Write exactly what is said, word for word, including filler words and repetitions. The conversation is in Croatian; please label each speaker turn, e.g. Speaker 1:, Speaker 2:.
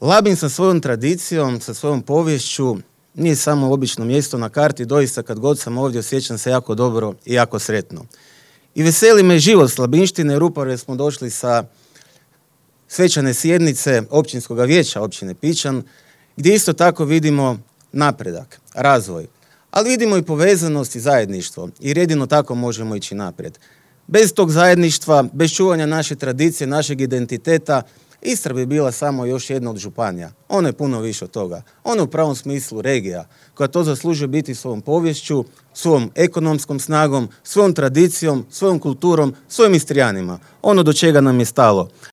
Speaker 1: Labin sa svojom tradicijom, sa svojom poviješću nije samo obično mjesto na karti, doista kad god sam ovdje osjećam se jako dobro i jako sretno. I veseli me život s Labinštine, jer upravo smo došli sa svečane sjednice općinskog vijeća općine Pičan, gdje isto tako vidimo napredak, razvoj, ali vidimo i povezanost i zajedništvo, jer jedino tako možemo ići naprijed. Bez tog zajedništva, bez čuvanja naše tradicije, našeg identiteta, Istra bi bila samo još jedna od županija. Ona je puno više od toga. Ona je u pravom smislu regija, koja to zaslužuje biti svojom poviješću, svojom ekonomskom snagom, svojom tradicijom, svojom kulturom, svojim Istrijanima. Ono do čega nam je stalo.